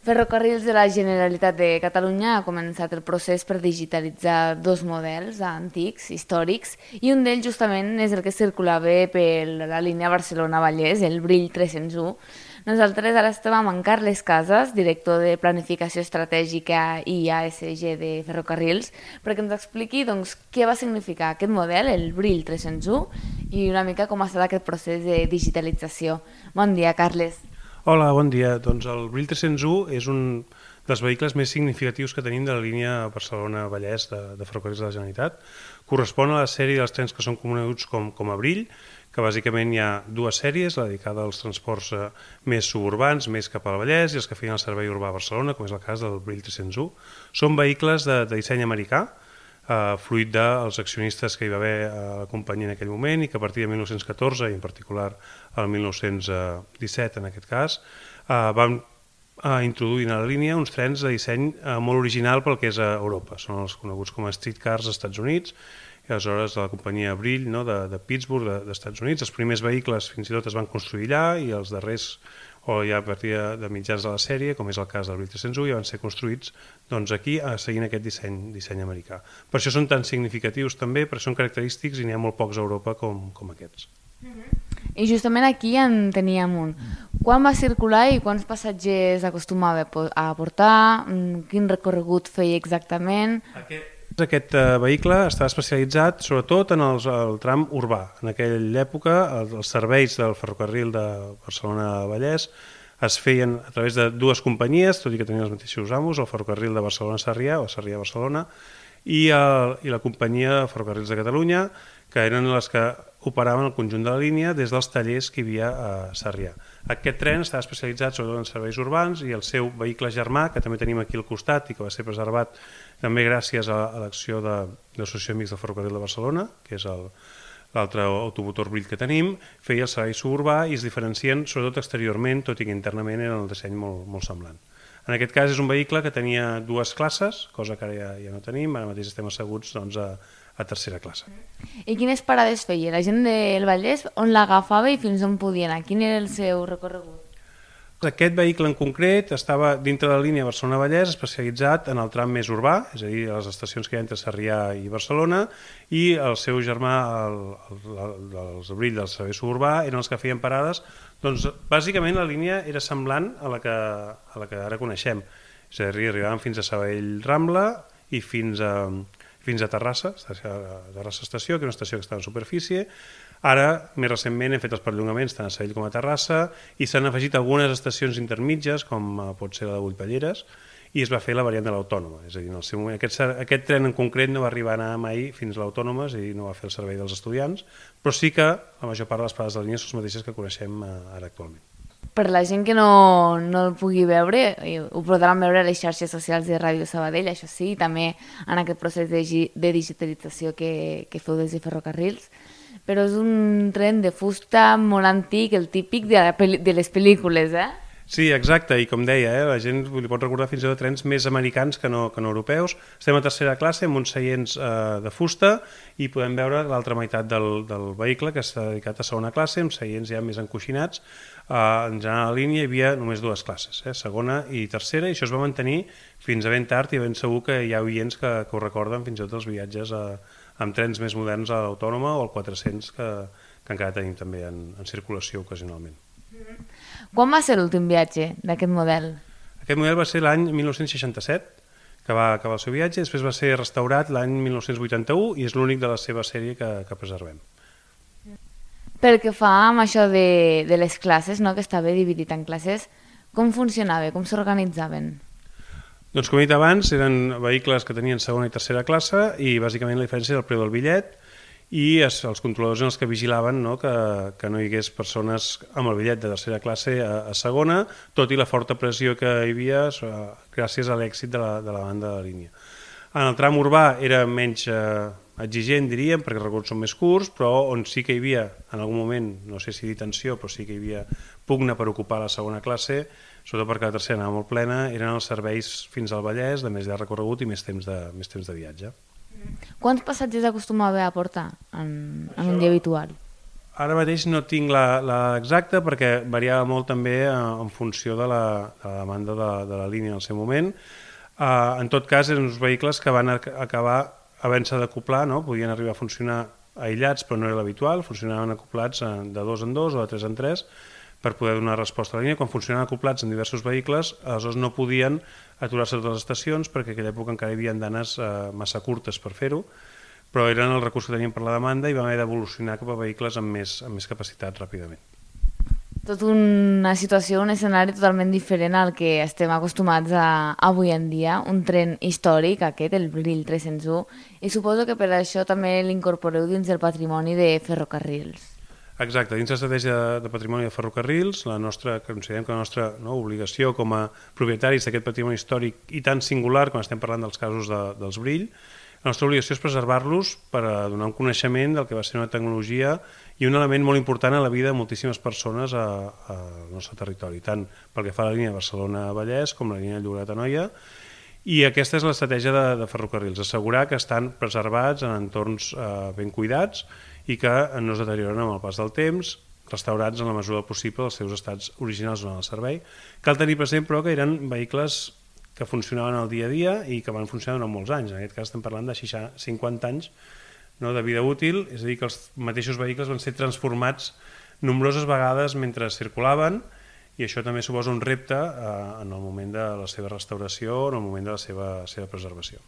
Ferrocarrils de la Generalitat de Catalunya ha començat el procés per digitalitzar dos models antics, històrics, i un d'ells justament és el que circulava per la línia Barcelona-Vallès, el Brill 301. Nosaltres ara estem amb en Carles Casas, director de Planificació Estratègica i ASG de Ferrocarrils, perquè ens expliqui doncs, què va significar aquest model, el Brill 301, i una mica com ha estat aquest procés de digitalització. Bon dia, Carles. Hola, bon dia. Doncs el Brill 301 és un dels vehicles més significatius que tenim de la línia Barcelona-Vallès de Ferrocarrils de la Generalitat. Correspon a la sèrie dels trens que són coneguts com a Brill, que bàsicament hi ha dues sèries, la dedicada als transports més suburbans, més cap al Vallès, i els que feien el servei urbà a Barcelona, com és el cas del Brill 301. Són vehicles de disseny americà, fruit dels accionistes que hi va haver a la companyia en aquell moment i que a partir de 1914 i en particular el 1917 en aquest cas van introduir a la línia uns trens de disseny molt original pel que és a Europa. Són els coneguts com a streetcars als Estats Units i aleshores de la companyia Brill, no, de Pittsburgh, dels Estats Units. Els primers vehicles fins i tot es van construir allà i els darrers o ja a partir de mitjans de la sèrie, com és el cas del Brill 301, ja van ser construïts doncs, aquí seguint aquest disseny americà. Per això són tan significatius també, perquè són característics i n'hi ha molt pocs a Europa com aquests. I justament aquí en teníem un. Quan va circular i quants passatgers acostumava a portar? Quin recorregut feia exactament? Aquest vehicle estava especialitzat sobretot en el tram urbà. En aquella època els serveis del ferrocarril de Barcelona-Vallès es feien a través de dues companyies, tot i que tenien els mateixos amos, el ferrocarril de Barcelona-Sarrià o Sarrià-Barcelona i la companyia Ferrocarrils de Catalunya, que eren les que operaven el conjunt de la línia des dels tallers que hi havia a Sarrià. Aquest tren estava especialitzat sobretot en serveis urbans i el seu vehicle germà, que també tenim aquí al costat i que va ser preservat també gràcies a l'acció de l'Associació Amics del Ferrocarril de Barcelona, que és l'altre automotor Brill que tenim, feia el servei suburbà i es diferencien sobretot exteriorment, tot i que internament era el disseny molt semblant. En aquest cas és un vehicle que tenia dues classes, cosa que ara ja no tenim, ara mateix estem asseguts doncs, a tercera classe. I quines parades feia? La gent del Vallès on l'agafava i fins on podia anar? Quin era el seu recorregut? Aquest vehicle en concret estava dintre de la línia Barcelona-Vallès especialitzat en el tram més urbà, és a dir, a les estacions que hi ha entre Sarrià i Barcelona, i el seu germà, els Brill del servei suburbà, eren els que feien parades. Doncs bàsicament la línia era semblant a la que ara coneixem, és a dir, arribaven fins a Sabadell Rambla i fins a Terrassa Estació, que és una estació que està en superfície. Ara, més recentment, hem fet els perllongaments tant a Sabadell com a Terrassa i s'han afegit algunes estacions intermitges, com pot ser la de Bullpalleres, i es va fer la variant de l'Autònoma. És a dir, en el seu moment, aquest tren en concret no va arribar a anar mai fins a l'Autònoma, és a dir, no va fer el servei dels estudiants, però sí que la major part de les parades de la línia són les mateixes que coneixem ara actualment. Per la gent que no el pugui veure, ho podran veure a les xarxes socials de Ràdio Sabadell, això sí, i també en aquest procés de digitalització que feu des de Ferrocarrils, però és un tren de fusta molt antic, el típic de les pel·lícules, eh? Sí, exacte, i com deia, la gent li pot recordar fins i tot trens més americans que no europeus. Estem a tercera classe amb uns seients de fusta i podem veure l'altra meitat del vehicle que està dedicat a segona classe, amb seients ja més encoixinats. En general a la línia hi havia només dues classes, segona i tercera, i això es va mantenir fins a ben tard i ben segur que hi ha oients que ho recorden fins i tot els viatges amb trens més moderns a l'Autònoma o al 400 que encara tenim també en circulació ocasionalment. Quan va ser l'últim viatge d'aquest model? Aquest model va ser l'any 1967, que va acabar el seu viatge, després va ser restaurat l'any 1981 i és l'únic de la seva sèrie que preservem. Pel que fa amb això de les classes, no, que estava dividit en classes, com funcionava, com s'organitzaven? Doncs com he dit abans, eren vehicles que tenien segona i tercera classe i bàsicament la diferència era el preu del bitllet i els controladors eren els que vigilaven, no, que no hi hagués persones amb el bitllet de tercera classe a segona, tot i la forta pressió que hi havia gràcies a l'èxit de la banda de la línia. En el tram urbà era menys exigent, diríem, perquè els recorreguts són més curts, però on sí que hi havia, en algun moment, no sé si dir tensió, però sí que hi havia pugna per ocupar la segona classe, sobretot perquè la tercera anava molt plena, eren els serveis fins al Vallès, de més de recorregut i més temps de viatge. Quants passatgers acostumava a portar en un dia habitual? Ara mateix no tinc la exacta perquè variava molt també en funció de la demanda de la línia en el seu moment. En tot cas, eren uns vehicles que van acabar havent-se d'acoplar, no? Podien arribar a funcionar aïllats, però no era l'habitual, funcionaven acoplats de 2 en 2 o de 3 en 3 per poder donar resposta a la línia. Quan funcionaven acoplats en diversos vehicles, aleshores no podien aturar-se a totes les estacions perquè en aquella època encara hi havia andanes massa curtes per fer-ho, però eren els recursos que teníem per la demanda i vam haver d'evolucionar cap a vehicles amb més capacitat ràpidament. Tot una situació, un escenari totalment diferent al que estem acostumats avui en dia, un tren històric aquest, el Brill 301, i suposo que per això també l'incorporeu dins del patrimoni de ferrocarrils. Exacte, dins l'estratègia de patrimoni de ferrocarrils, considerem que la nostra obligació com a propietaris d'aquest patrimoni històric i tan singular quan estem parlant dels casos dels Brill, la nostra obligació és preservar-los per donar un coneixement del que va ser una tecnologia i un element molt important en la vida de moltíssimes persones al nostre territori, tant pel que fa a la línia Barcelona-Vallès com la línia Llobregat-Anoia. I aquesta és l'estratègia de ferrocarrils, assegurar que estan preservats en entorns ben cuidats i que no es deterioren amb el pas del temps, restaurats en la mesura del possible els seus estats originals durant el servei. Cal tenir present, però, que eren vehicles que funcionaven al dia a dia i que van funcionar durant molts anys. En aquest cas estem parlant de 50 anys de vida útil, és a dir, que els mateixos vehicles van ser transformats nombroses vegades mentre circulaven, i això també suposa un repte en el moment de la seva restauració, en el moment de la seva preservació.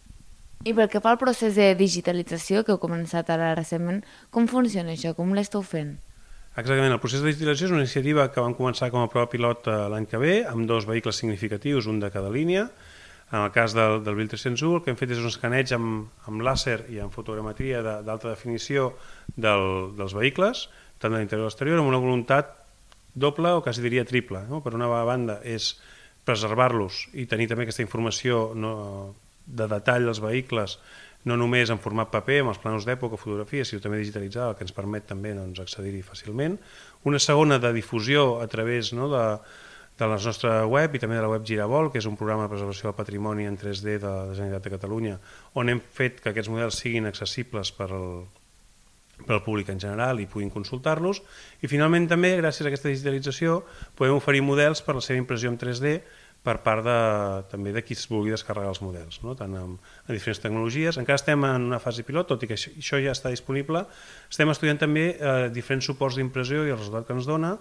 I pel que fa al procés de digitalització que heu començat ara recentment, com funciona això? Com l'esteu fent? Exactament, el procés de digitalització és una iniciativa que vam començar com a prova pilot l'any que ve, amb 2 vehicles significatius, un de cada línia. En el cas del Brill 301, el que hem fet és un escaneig amb làser i amb fotogrametria d'alta definició dels vehicles, tant de l'interior i l'exterior, amb una voluntat doble o quasi diria triple. Per una banda és preservar-los i tenir també aquesta informació de detall dels vehicles, no només en format paper, amb els plànols d'època o fotografies, sinó també digitalitzada, el que ens permet també accedir-hi fàcilment. Una segona de difusió a través de la nostra web i també de la web Giravol, que és un programa de preservació del patrimoni en 3D de la Generalitat de Catalunya, on hem fet que aquests models siguin accessibles per al públic en general i puguin consultar-los. I finalment també, gràcies a aquesta digitalització, podem oferir models per la seva impressió en 3D per part també de qui es vulgui descarregar els models, tant en diferents tecnologies. Encara estem en una fase pilot, tot i que això ja està disponible. Estem estudiant també diferents suports d'impressió i el resultat que ens dona.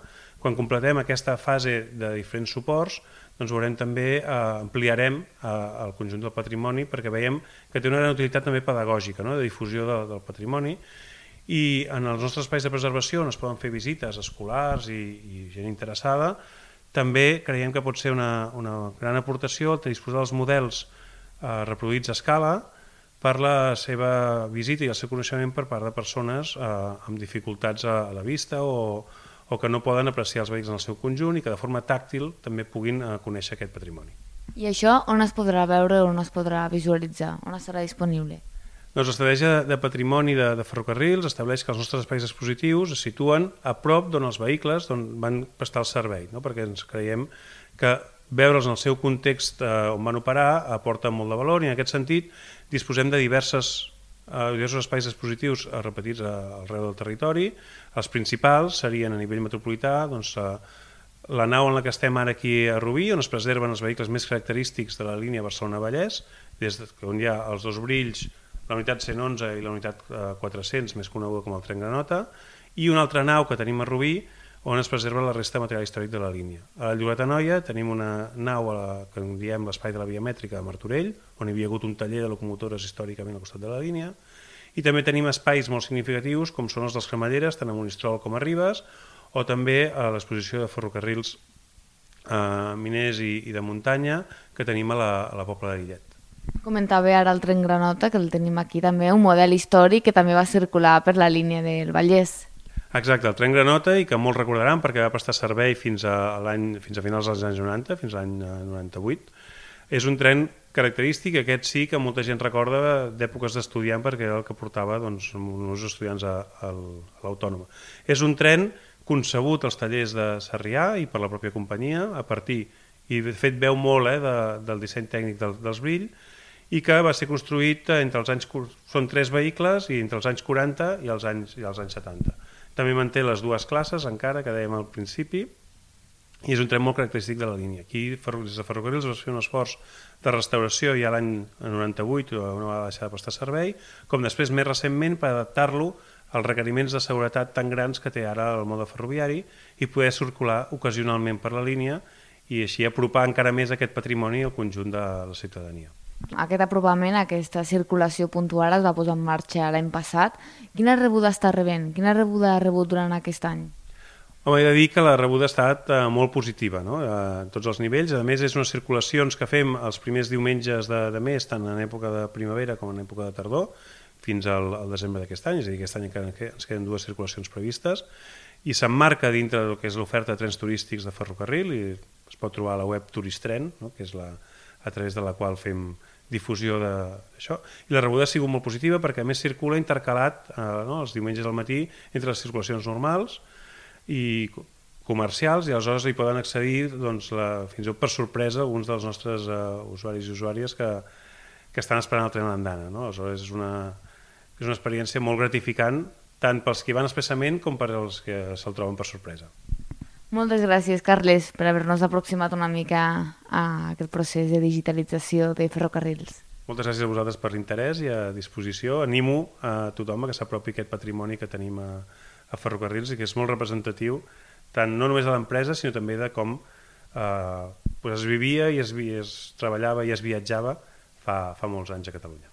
Quan completem aquesta fase de diferents suports, doncs veurem també, ampliarem el conjunt del patrimoni perquè veiem que té una gran utilitat també pedagògica, de difusió del patrimoni. I en els nostres espais de preservació on es poden fer visites escolars i gent interessada, també creiem que pot ser una gran aportació el disposar dels models reproduïts a escala per la seva visita i el seu coneixement per part de persones amb dificultats a la vista o que no poden apreciar els vehicles en el seu conjunt i que de forma tàctil també puguin conèixer aquest patrimoni. I això on es podrà veure o on es podrà visualitzar? On estarà disponible? Doncs l'estratègia de patrimoni de ferrocarrils estableix que els nostres espais expositius es situen a prop d'on els vehicles van prestar el servei, perquè ens creiem que veure'ls en el seu context on van operar aporta molt de valor i en aquest sentit disposem de diversos espais expositius repetits arreu del territori. Els principals serien a nivell metropolità la nau en la que estem ara aquí a Rubí, on es preserven els vehicles més característics de la línia Barcelona-Vallès, des on hi ha els 2 Brills, la unitat 111 i la unitat 400, més coneguda com el tren Granota, i una altra nau que tenim a Rubí, on es preserva la resta de material històric de la línia. A Llobregat-Anoia tenim una nau que en diem l'espai de la via mètrica de Martorell, on hi havia hagut un taller de locomotores històricament al costat de la línia, i també tenim espais molt significatius com són els dels Cremalleres, tant a Monistrol com a Ribes, o també a l'exposició de ferrocarrils miners i de muntanya que tenim a la Pobla de Lillet. Comentava ara el tren Granota, que el tenim aquí també, un model històric que també va circular per la línia del Vallès. Exacte, el tren Granota, i que molts recordaran perquè va prestar servei fins a finals dels anys 90, fins a l'any 98. És un tren característic, aquest sí que molta gent recorda d'èpoques d'estudiant perquè era el que portava uns estudiants a l'Autònoma. És un tren concebut als tallers de Sarrià i per la pròpia companyia, a partir, i de fet veu molt del disseny tècnic dels Brill, i que va ser construït entre els anys... Són 3 vehicles i entre els anys 40 i els anys 70. També manté les dues classes encara, que dèiem al principi, i és un tren molt característic de la línia. Aquí, des de Ferrocarrils, es va fer un esforç de restauració ja l'any 98, on va deixar de prestar servei, com després, més recentment, per adaptar-lo als requeriments de seguretat tan grans que té ara el mode ferroviari i poder circular ocasionalment per la línia i així apropar encara més aquest patrimoni al conjunt de la ciutadania. Aquest apropament, aquesta circulació puntual es va posar en marxa l'any passat. Quina rebuda està rebent? Quina rebuda ha rebut durant aquest any? Home, he de dir que la rebuda ha estat molt positiva, no? A tots els nivells. A més, és unes circulacions que fem els primers diumenges de mes, tant en època de primavera com en època de tardor, fins al desembre d'aquest any, és a dir, aquest any encara ens queden 2 circulacions previstes, i s'emmarca dintre del que és l'oferta de trens turístics de ferrocarril, i es pot trobar a la web Turistren, no? Que és a través de la qual fem difusió d'això, i la rebuda ha sigut molt positiva perquè a més circula intercalat els diumenges al matí entre les circulacions normals i comercials, i aleshores hi poden accedir fins i tot per sorpresa alguns dels nostres usuaris i usuàries que estan esperant el tren a l'andana, no? Aleshores és una experiència molt gratificant tant pels que van expressament com per als que se'l troben per sorpresa. Moltes gràcies, Carles, per haver-nos aproximat una mica a aquest procés de digitalització de ferrocarrils. Moltes gràcies a vosaltres per l'interès i a disposició. Animo a tothom que s'apropi aquest patrimoni que tenim a ferrocarrils i que és molt representatiu, tant no només de l'empresa, sinó també de com es vivia i es treballava i es viatjava fa molts anys a Catalunya.